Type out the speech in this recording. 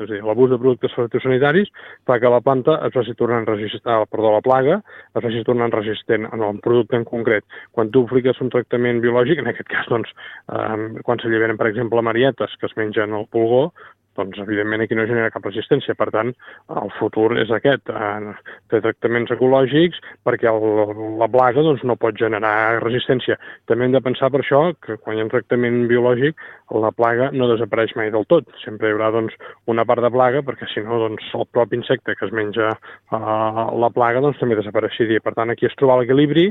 És a dir, l'abús de productes fitosanitaris fa que la planta es vagi tornant la plaga es vagi tornant resistent en un producte en concret. Quan tu apliques un tractament biològic, en aquest cas, doncs, quan s'alliberen, per exemple, marietes que es mengen el pulgó, doncs, evidentment, aquí no genera cap resistència. Per tant, el futur és aquest, fer tractaments ecològics perquè la plaga doncs, no pot generar resistència. També hem de pensar per això que quan hi ha un tractament biològic, la plaga no desapareix mai del tot. Sempre hi haurà doncs, una part de plaga, perquè si no, doncs, el propi insecte que es menja la plaga doncs, també desapareixeria. Per tant, aquí és trobar l'equilibri